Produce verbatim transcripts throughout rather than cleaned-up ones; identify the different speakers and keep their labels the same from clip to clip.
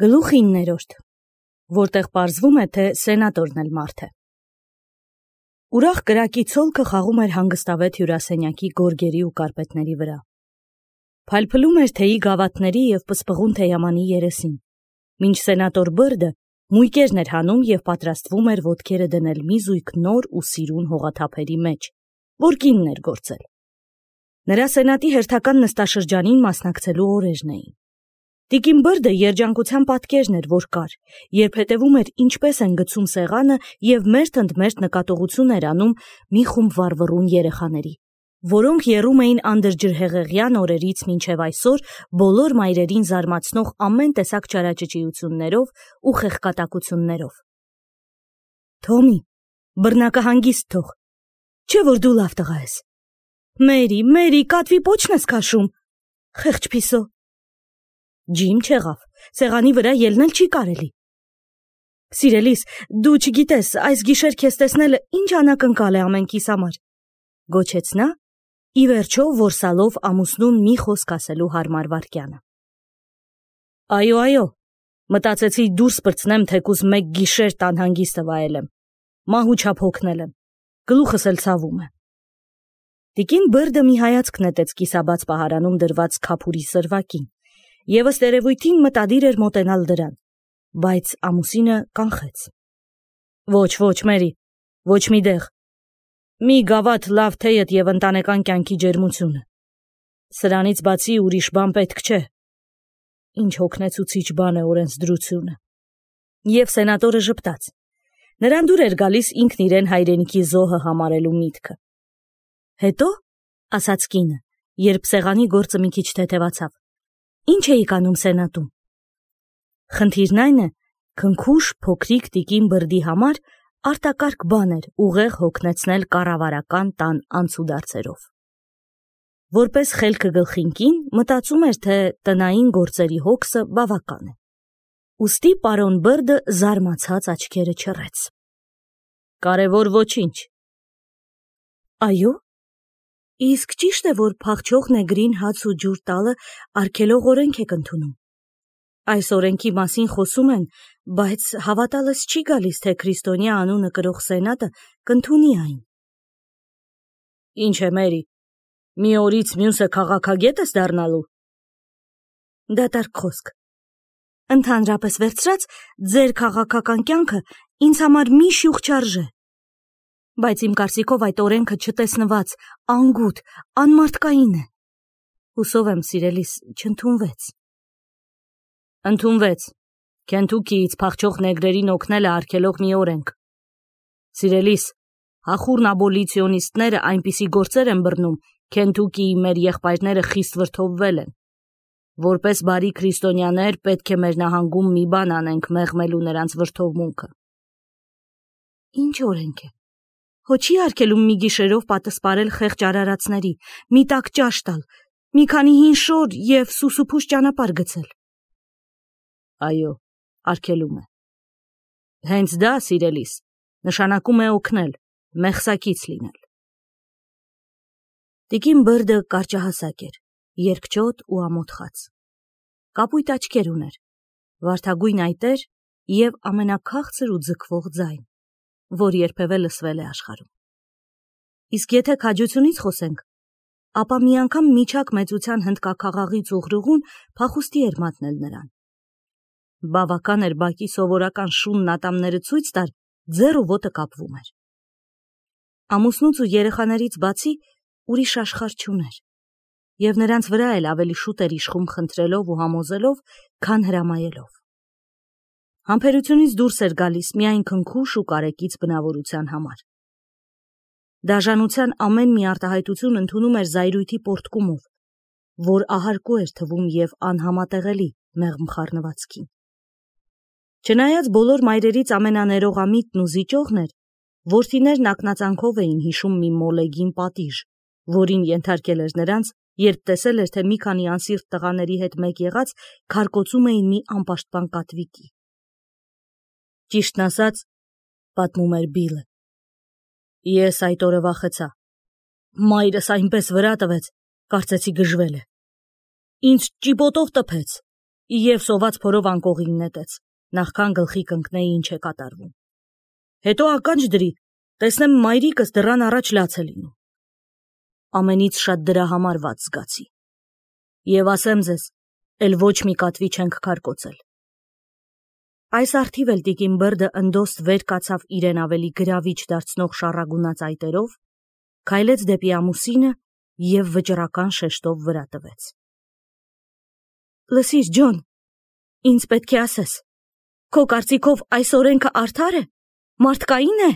Speaker 1: Գլուխ իններորդ, որտեղ պարզվում է, թե սենատորն էլ մարդ է։ Ուրախ կրակի ցոլքը խաղում էր հանգստավետ հյուրասենյակի գորգերի ու կարպետների վրա։ Փայլփլում էր թեյի գավաթների և պսպղուն թեյամանի երեսին, մինչ սենատոր Բըրդը մույկերն էր հանում և պատրաստվում էր ոտքերը դնել մի զույգ նոր ու սիրուն հողաթափերի մեջ, որ կինն էր գործել։ Նրա սենատի հերթական նստաշրջանին մասնակցելու օրերն էին։ Տիկին Բըրդը երջանկության պատկերն էր, որ կար, երբ հետևում էր ինչպես են գցում սեղանը և մերթ ընդ մերթ նկատողություն էր անում մի խումբ վառվռուն երեխաների, որոնք եռում էին անդրջրհեղեղյան օրերից մինչև այսօր բոլոր մայրերին զարմացնող ամեն տեսակ չարաճճիություններով ու խեղկատակություններով։ Թոմի, բռնակը հանգիստ թող, չէ՞ որ դու լավ տղա ես։ Մերի, Մերի, կատվի պոչն ես քաշում, խեղճ փիսո։ Ջիմ չեղավ, սեղանի վրա ելնել չի կարելի։ Սիրելիս, դու չգիտես, այս գիշեր քեզ տեսնելը ինչ անակնկալ է ամենքիս համար, գոչեց նա, ի վերջո որսալով ամուսնուն մի խոսք ասելու հարմար վայրկյանը։ Այո, այո, մտածեցի դուրս պրծնեմ, թեկուզ մեկ գիշեր տան հանգիստը վայելեմ, մահու չափ հոգնել եմ, գլուխս էլ ցավում է։ Տիկին Բըրդը մի հայացք նետեց կիսաբաց պահարանում դրված քափուրի սրվակին և ըստ երևույթին մտադիր էր մոտենալ դրան, բայց ամուսինը կանխեց։ Ոչ, ոչ, Մերի, ոչ մի դեղ, մի գավաթ լավ թեյդ և ընտանեկան կյանքի ջերմությունը։ Սրանից բացի ուրիշ բան պետք չէ։ Ինչ հոգնեցուցիչ բան է օրենսդրությունը։ Եվ սենատորը ժպտաց։ Նրան դուր էր գալիս ինքն իրեն հայրենիքի զոհը համարելու միտքը։ Հետո, ասաց կինը, երբ սեղանի գործը մի քիչ թեթևացավ, ինչ էիք անում սենատում։ Խնդիրն այն է, քնքուշ փոքրիկ տիկին Բըրդի համար արտակարգ բան էր ուղեղ հոգնեցնել կառավարական տան անցուդարձերով։ Որպես խելքը գլխին կին մտածում էր, թե տնային գործերի հոգսը բավական է։ Ուստի պարոն Բըրդը զարմացած աչքերը չռեց։ Կարևոր ոչինչ։ Այո։ Իսկ ճիշտ է, որ փախչող նեգրին հաց ու ջուր տալը արգելող օրենք եք ընդունում։ Այս օրենքի մասին խոսում են, բայց հավատալս չի գալիս, թե քրիստոնյա անունը կրող սենատը կընդունի այն։ Ինչ է, Մերի, մի օրից մյուսը քաղաքագետ ես դառնալու։ Դատարկ խոսք։ Ընդհանրապես վերցրած, ձեր քաղաքական կյանքը ինձ համար մի շյուղ չարժե։ Բայց իմ կարծիքով այդ օրենքը չտեսնված, անգութ, անմարդկային է։ Հուսով եմ, սիրելիս, չընդունվեց։ Ընդունվեց։ Քենթուքիից փախչող նեգրերին օգնելը արգելող մի օրենք։ Սիրելիս, հախուռն աբոլիցիոնիստները այնպիսի գործեր են բռնում, Քենթուքիի մեր եղբայրները խիստ վրդովվել են։ Որպես բարի քրիստոնյաներ պետք է մեր նահանգում մի բան անենք մեղմելու նրանց վրդովմունքը։ Ինչ օրենք է։ Հո չի արգելում մի գիշերով պատսպարել խեղճ արարածների, մի տաք ճաշ տալ, մի քանի հին շոր և սուսուփուշ ճանապարհ գցել։ Այո, արգելում է։ Հենց դա, սիրելիս, նշանակում է օգնել, մեղսակից լինել։ Տիկին Բըրդը կարճահասակ էր, երկչոտ ու ամոթխած։ Կապույտ աչքեր ուներ, վարդագույն այտեր և ամենաքաղցր ու ձգվող ձայն, որ երբևէ լսվել է աշխարհում։ Իսկ եթե քաջությունից խոսենք, ապա մի անգամ միջակ մեծության հնդկաքաղաղի ծուղրուղուն փախուստի էր մատնել նրան։ Բավական էր բակի սովորական շունն ատամները ցույց տար, ձեռ ու ոտը կապվում էր։ Ամուսնուց ու երեխաներից բացի ուրիշ աշխարհ չուներ, և նրանց վրա էլ ավելի շուտ էր իշխում խնդրելով ու համոզելով, քան հրամայելով։ Համբերությունից դուրս էր գալիս միայն քնքուշ ու կարեկից բնավորության համար։ Դաժանության ամեն մի արտահայտություն ընդունում էր զայրույթի պոռթկումով, որ ահարկու էր թվում և անհամատեղելի մեղմ խառնվածքին։ Չնայած բոլոր մայրերից ամենաներողամիտն ու զիջողն էր, որդիներն ակնածանքով էին հիշում մի մոլեգին պատիժ, որին ենթարկել էր նրանց, երբ տեսել էր, թե մի քանի անսիրտ տղաների հետ մեկ եղած քարկոծում էին մի անպաշտպան կատվիկի։ Ճիշտն ասած, պատմում էր Բիլը, ես այդ օրը վախեցա։ Մայրս այնպես վրա տվեց, կարծեցի գժվել է։ Ինձ ճիպոտով տփեց, Եվ սոված փորով անկողին նետեց, նախքան գլխի կընկնեի ինչ է կատարվում։ Հետո ականջ դրի, տեսնեմ մայրիկս դռան առաջ լաց է լինում։ Ամենից շատ դրա համար ված զգացի։ Եվ ասեմ ձեզ, էլ ոչ մի կատվի չենք քարկոծել։ Այս արդիվ էլ տիկին Բրդը ընդոստ վեր կացավ իրեն ավելի գրավիչ դարձնող շառագունած այտերով, քայլեց դեպի ամուսինը և վճռական շեշտով վրա տվեց։ Լսիր, Ջոն, ինձ պետք է ասես, քո կարծիքով այս օրենքը արդար է, մարդկային է։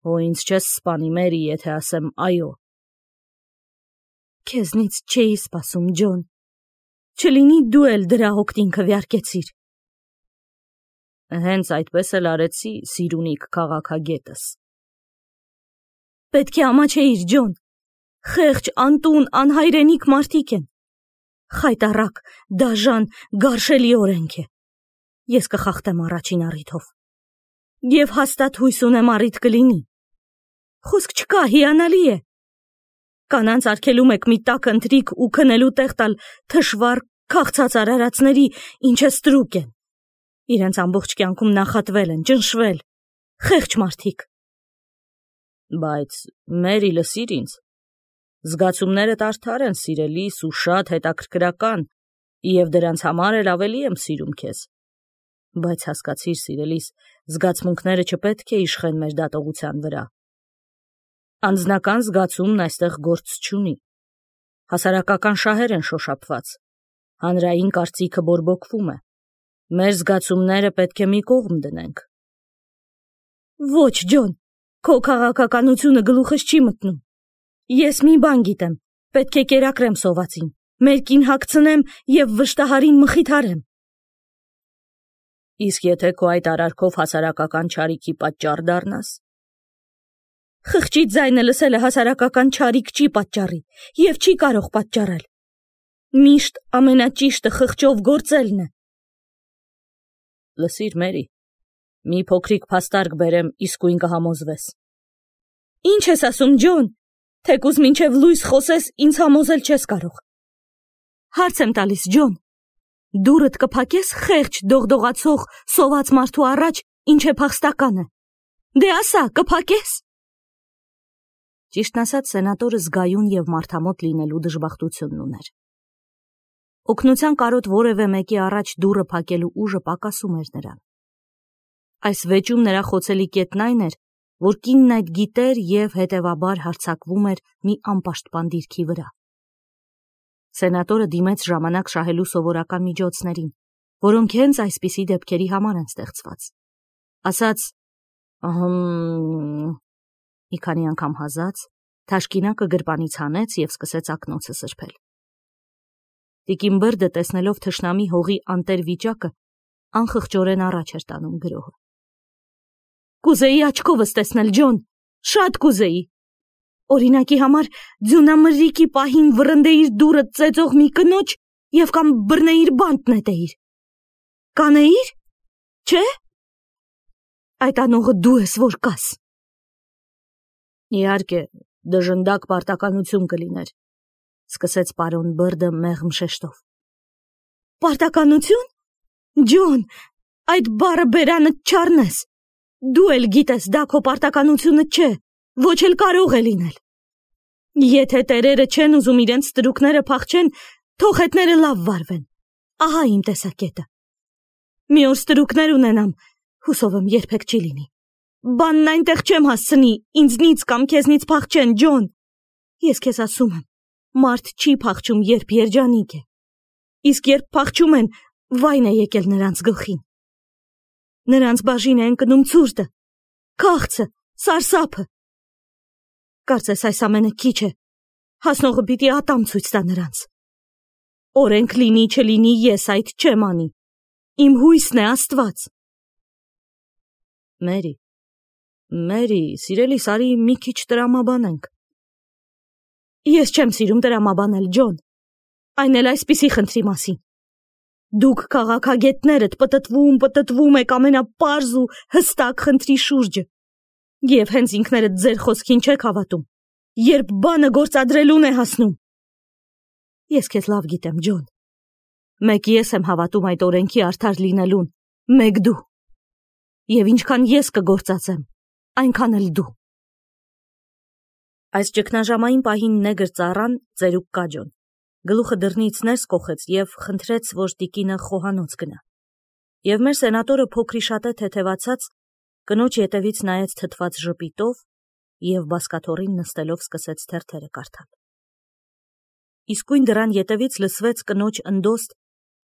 Speaker 1: Օ, ինձ չես սպանի, Մերի, եթե ասեմ այո։ Քեզնից չէի սպասում, Ջոն, չլինի դու էլ դրա հոգտին քվեարկեցիր։ Հենց այդպես էլ արեցի, սիրունիկ քաղաքագետս։ Պետք է ամաչեիր, Ջոն, խեղճ, անտուն, անհայրենիք մարդիկ են։ Խայտառակ, դաժան, գարշելի օրենք է։ Ես կխախտեմ առաջին առիթով։ Եվ հաստատ հույս ունեմ առիթ կլինի։ Խոսք չկա, հիանալի է։ Կանանց արգելում եք մի տաք ընթրիք ու քնելու տեղ տալ թշվառ, քաղցած արարածների, ինչը ստրուկ են։ Իրենց ամբողջ կյանքում նախատվել են, ճնշվել, խեղճ մարդիկ։ Բայց, Մերի, լսիր ինձ, զգացումներդ արդար են, սիրելիս, ու շատ հետաքրքրական, և դրանց համար էլ ավելի եմ սիրում քեզ։ Բայց հասկացիր, սիրելիս, զգացմունքները չպետք է իշխեն մեր դատողության վրա։ Անձնական զգացումն այստեղ գործ չունի։ Հասարակական շահեր են շոշափված։ Հանրային կարծիքը բորբոքվում է։ Մեր զգացումները պետք է մի կողմ դնենք։ Ոչ, Ջոն, քո քաղաքականությունը գլուխս չի մտնում։ Ես մի բան գիտեմ, պետք է կերակրեմ սովածին, մերկին հագցնեմ և վշտահարին մխիթարեմ։ Իսկ եթե քո այդ արարքով հասարակական չարիքի պատճառ դառնաս։ Խղճի ձայնը լսելը հասարակական չարիք չի պատճառի և չի կարող պատճառել։ Միշտ ամենաճիշտը խղճով գործելն է։ Լսիր, Մերի, մի փոքրիկ փաստարկ բերեմ, իսկույն կհամոզվես։ Ինչ ես ասում, Ջոն, թեկուզ մինչև լույս խոսես, ինձ համոզել չես կարող։ Հարց եմ տալիս, Ջոն, դուրդ կփակես խեղճ, դողդողացող, սոված մարդու առաջ, ինչ է փախստականը։ Դե ասա, կփակես։ Ճիշտն ասած, սենատորը զգայուն և մարդամոտ լինելու դժբախտությունն ուներ։ Օգնության կարոտ որևէ մեկի առաջ դուռը փակելու ուժը պակասում էր նրան։ Այս վեճում նրա խոցելի կետն այն էր, որ կինն այդ գիտեր և հետևաբար հարձակվում էր մի անպաշտպան դիրքի վրա։ Սենատորը դիմեց ժամանակ շահելու սովորական միջոցներին, որոնք հենց այսպիսի դեպքերի համար են ստեղծված։ Ասաց, ըհը, մի քանի անգամ հազաց, թաշկինակը գրպանից հանեց և սկսեց ակնոցը սրբել։ Տիկին Բրդը, տեսնելով թշնամի հողի անտեր վիճակը, անխղճորեն առաջ էր տանում գրոհը։ Կուզեի աչքովս տեսնել, Ջոն, շատ կուզեի։ Օրինակի համար ձյունամրրիկի պահին վռնդեիր դուռը ծեծող մի կնոջ և կամ բռնեիր բանտ նետեիր։ Կանեիր, չէ՞։ Այդ անողը դու ես, որ կաս։ Իհարկե, դժնդակ պարտականություն կլիներ, սկսեց պարոն Բրդը մեղմ շեշտով։ Պարտականություն։ Ջոն, այդ բառը բերանը չառնես։ Դու էլ գիտես, դա քո պարտականությունը չէ, ոչ էլ կարող է լինել։ Եթե տերերը չեն ուզում իրենց ստրուկները փախչեն, թող հետները լավ վարվեն։ Ահա իմ տեսակետը։ Մի օր ստրուկներ ունենամ, հուսով եմ երբեք չի լինի։ Բանն այնտեղ չեմ հասցնի, ինձնից կամ քեզնից փախչեն, Ջոն։ Ես քեզ ասում եմ, մարդ չի փախչում, երբ երջանիկ է։ Իսկ երբ փախչում են, վայն է եկել նրանց գլխին։ Նրանց բաժին է ընկնում ցուրտը, քաղցը, սարսափը։ Կարծես այս ամենը քիչ է, հասնողը պիտի ատամ ցույց տա նրանց։ Օրենք լինի չլինի, ես այդ չեմ անի։ Իմ հույսն է Աստված։ Մերի, Մերի, սիրելիս, արի մի քիչ տրամաբանենք։ Ես չեմ սիրում տրամաբանել, Ջոն, այն էլ այսպիսի խնդրի մասին։ Դուք քաղաքագետներդ պտտվում, պտտվում եք ամենապարզ ու հստակ խնդրի շուրջը, և հենց ինքներդ ձեր խոսքին չեք հավատում, երբ բանը գործադրելուն է հասնում։ Ես քեզ լավ գիտեմ, Ջոն, Մեկ ես եմ հավատում այդ օրենքի արդար լինելուն, մեկ դու։ Եվ ինչքան ես կգործածեմ, այնքան էլ դու։ Այս ճգնաժամային պահին նեգր ծառան ծերուկ կաջոն գլուխը դռնից ներս կոխեց և խնդրեց, որ տիկինը խոհանոց գնա։ Եվ մեր սենատորը փոքրի շատե թեթևացած կնոջ ետևից նայեց թթված ժպիտով և բազկաթոռին նստելով սկսեց թերթերը կարդալ։ Իսկույն դռան ետևից լսվեց կնոջ ընդոստ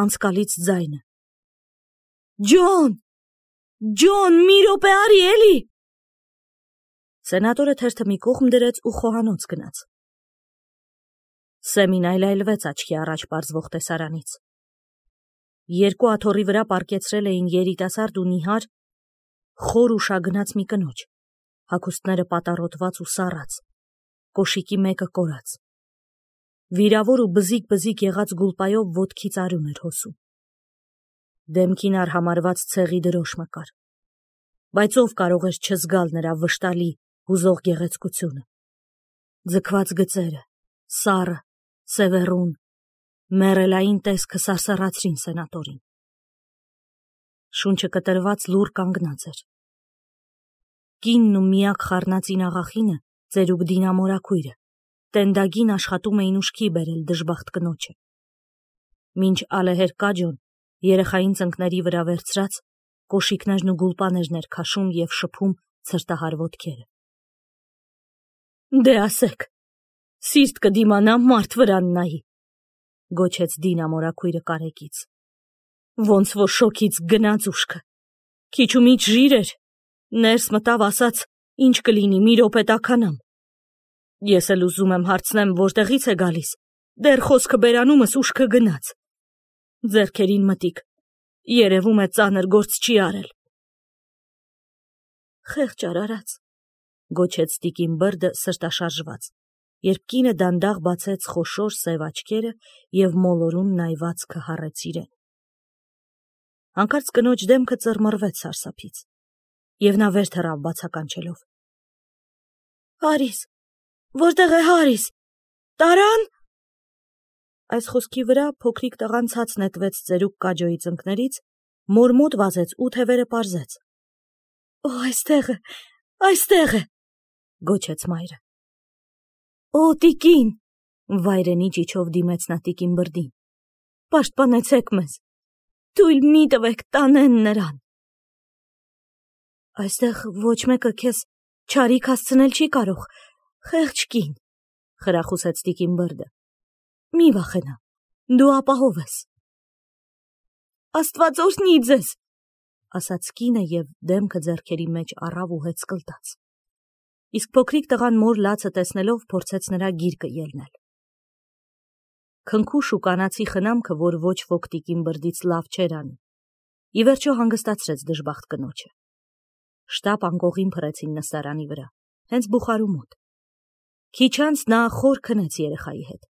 Speaker 1: անցկալից ձայնը. Ջոն, Ջոն, մի րոպե արի էլի։ Սենատորը թերթը մի կողմ դրեց ու խոհանոց գնաց։ Սեմին այլայլվեց աչքի առաջ պարզվող տեսարանից։ Երկու աթոռի վրա պառկեցրել էին երիտասարդ ու նիհար, խոր ու շագնաց մի կնոջ, հագուստները պատառոտված ու սառած, կոշիկի մեկը կորած։ Վիրավոր ու բզիկ-բզիկ եղած գուլպայով ոտքից արյուն էր հոսում։ Դեմքին արհամարված ցեղի դրոշմը կար, բայց ով կարող էր չզգալ նրա վշտալի, հուզող գեղեցկությունը։ Ձգված գծերը, սառը, սևեռուն, մեռելային տեսքը սարսռացրին սենատորին։ Շունչը կտրված լուռ կանգնած էր։ Կինն ու միակ խառնածին աղախինը, ծերուկ Դինա մորաքույրը, տենդագին աշխատում էին ուշքի բերել դժբախտ կնոջը։ Մինչ ալեհեր կաջոն երեխային ծնկների վրա վերցրած կոշիկներն ու գուլպաներն էր քաշում և շփում ցրտահար ոտքերը։ Դե ասեք, սիրտ կդիմանա մարդ վրան նայի, գոչեց Դինա մորաքույրը կարեկից։ Ոնց որ շոքից գնաց ուշքը, քիչ ու միջ ժիր էր, ներս մտավ, ասաց, ինչ կլինի, մի րոպե տաքանամ։ Ես էլ ուզում եմ հարցնեմ, որտեղից է գալիս, դեռ խոսքը բերանումս ուշքը գնաց։ Ձեռքերին մտիկ, երևում է ծանր գործ չի արել։ Խեղճ արարած, գոչեց տիկին Բրդը սրտաշարժված, երբ կինը դանդաղ բացեց խոշոր սև աչքերը և մոլորուն նայվածքը հառեց իրեն։ Հանկարծ կնոջ դեմքը ծռմռվեց սարսափից, և նա վեր թռավ բացականչելով։ Հարիս, որտեղ է Հարիս, տարան։ Այս խոսքի վրա փոքրիկ տղան ցած նետվեց ծերուկ կաջոյի ծնկներից, մոր մոտ վազեց ու թևերը պարզեց։ Օ, այստեղ է, այստեղ է, գոչեց մայրը։ Օ, տիկին, վայրենի ճիչով դիմեց նա տիկին Բրդին։ Պաշտպանեցեք մեզ, թույլ մի տվեք տանեն նրան։ Այստեղ ոչ մեկը քեզ չարիք հասցնել չի կարող, խեղճ կին, խրախուսեց տիկին Բրդը։ Մի վախենա, դու ապահով ես։ Աստված օրհնի ձեզ, ասաց կինը և դեմքը ձեռքերի մեջ առավ ու հեծկլտաց։ Իսկ փոքրիկ տղան մոր լացը տեսնելով փորձեց նրա գիրկը ելնել։ Քնքուշ ու կանացի խնամքը, որ ոչ ոք տիկին Բրդից լավ չէր անի, ի վերջո հանգստացրեց դժբախտ կնոջը։ Շտապ անկողին փռեցին նստարանի վրա, հենց բուխարու մոտ։ Քիչ անց նա խոր քնեց երեխայի հետ։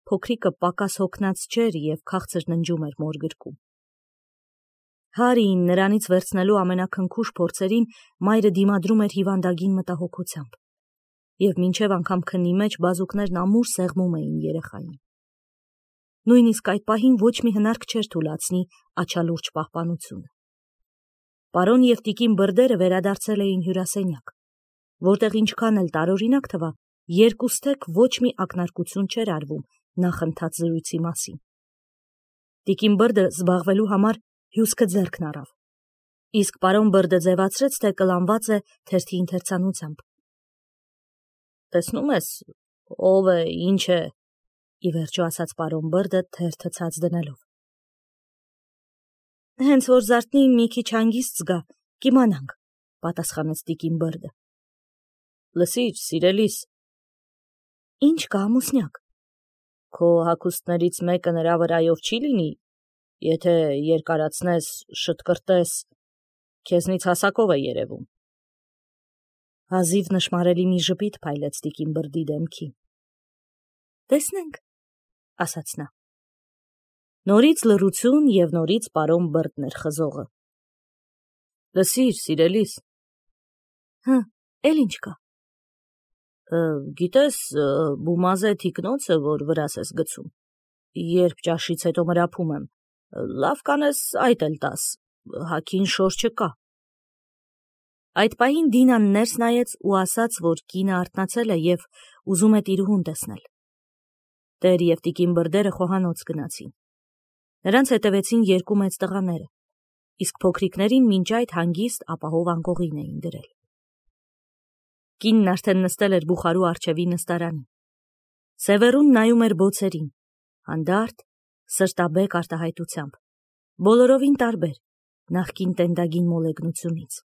Speaker 1: Փոքրիկը պակաս հոգնած չէր և քաղցր ննջում էր մոր գրկում։ Հարիին նրանից վերցնելու ամենաքնքուշ փորձերին մայրը դիմադրում էր հիվանդագին մտահոգությամբ, և մինչև անգամ քնի մեջ բազուկներն ամուր սեղմում էին երեխային։ Նույնիսկ այդ պահին ոչ մի հնարք չէր թուլացնի աչալուրջ պահպանությունը։ Պարոն և տիկին Բրդերը վերադարձել էին հյուրասենյակ, որտեղ ինչքան էլ տարօրինակ թվա, երկուստեք ոչ մի ակնարկություն չէր արվում նախընթաց զրույցի մասին։ Տիկին Բրդը զբաղվելու համար հյուսքը ձեռքն առավ, իսկ պարոն Բրդը ձևացրեց, թե կլանված է թերթի ընթերցանությամբ։ Տեսնում ես, ով է, ինչ է, ի վերջո ասաց պարոն Բրդը թերթը ցած դնելով։ Հենց որ զարթնի մի քիչ հանգիստ զգա, կիմանանք, պատասխանեց տիկին Բրդը։ Լսիր, սիրելիս։ Ինչ կա, ամուսնյակ։ Քո հագուստներից մեկը նրա վրայով չի լինի, եթե երկարացնես, շտկրտես, քեզնից հասակով է երևում։ Հազիվ նշմարելի մի ժպիտ փայլեց տիկին Բրդի դեմքին։ Տեսնենք, ասաց նա։ Նորից լռություն և նորից պարոն Բրդն էր խզողը։ Լսիր, սիրելիս։ Հը, էլ ինչ կա։ Գիտես, բումազե թիկնոցը, որ վրաս ես գցում, Երբ ճաշից հետո մրափում եմ, լավ կանես այդ էլ տաս, հագին շոր չկա։ Այդ պահին Դինան ներս նայեց ու ասաց, որ կինը արթնացել է և ուզում է տիրուհուն տեսնել։ Տեր և տիկին Բրդերը խոհանոց գնացին։ Նրանց հետևեցին երկու մեծ տղաները, իսկ փոքրիկներին մինչ այդ հանգիստ ապահով անկողին էին դրել։ Կինն արդեն նստել էր բուխարու առջևի նստարանին։ Սևեռուն նայում էր բոցերին, հանդարտ, սրտաբեկ արտահայտությամբ, բոլորովին տարբեր նախկին տենդագին մոլեգնությունից։